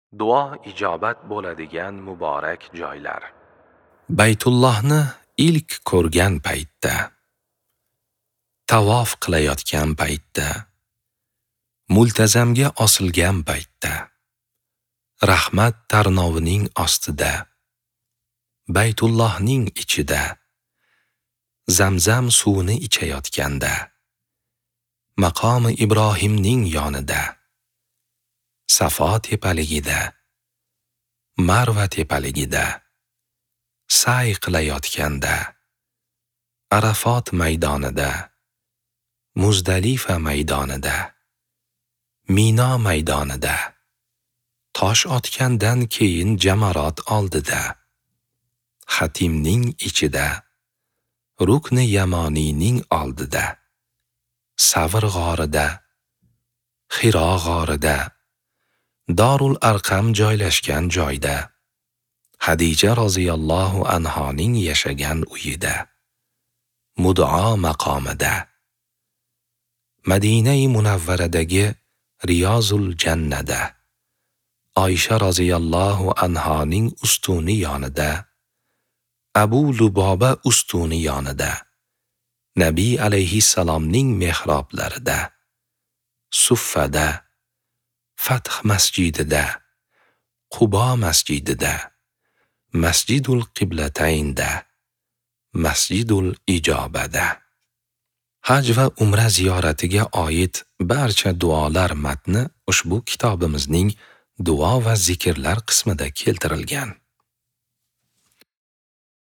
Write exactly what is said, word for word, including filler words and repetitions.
Duo ijobat bo'ladigan muborak joylar. Baytullohni ilk ko'rgan paytda, tavof qilayotgan paytda, multazamga osilgan paytda, rahmat tarnovining ostida, Baytullohning ichida, Zamzam suvini ichayotganda, maqomi Ibrohimning yonida, Safo tepaligida, Marva tepaligida, sa'y qilayotganda, Arafot maydonida, Muzdalifa maydonida, Mino maydonida, tosh otgandan keyin jamarot oldida, Hatimning ichida, Rukni Yamoniyning oldida, Savr g'orida, Xiro g'orida, Dorul Arqam joylashgan joyda, Hadija roziyallohu anhoning yashagan uyida, Mud'a maqomida, Madinai Munavvaradagi Riyozul Jannada, Oysha roziyallohu anhoning ustuni yonida, Abu Luboba ustuni yonida, Nabiy alayhissalomning mehroblarida, Suffada, Fath masjidida, Qubo masjidida, Masjidul Qiblataynda, Masjidul Ijobada. Haj va umra ziyoratiga oid barcha duolar matni ushbu kitobimizning duo va zikrlar qismida keltirilgan.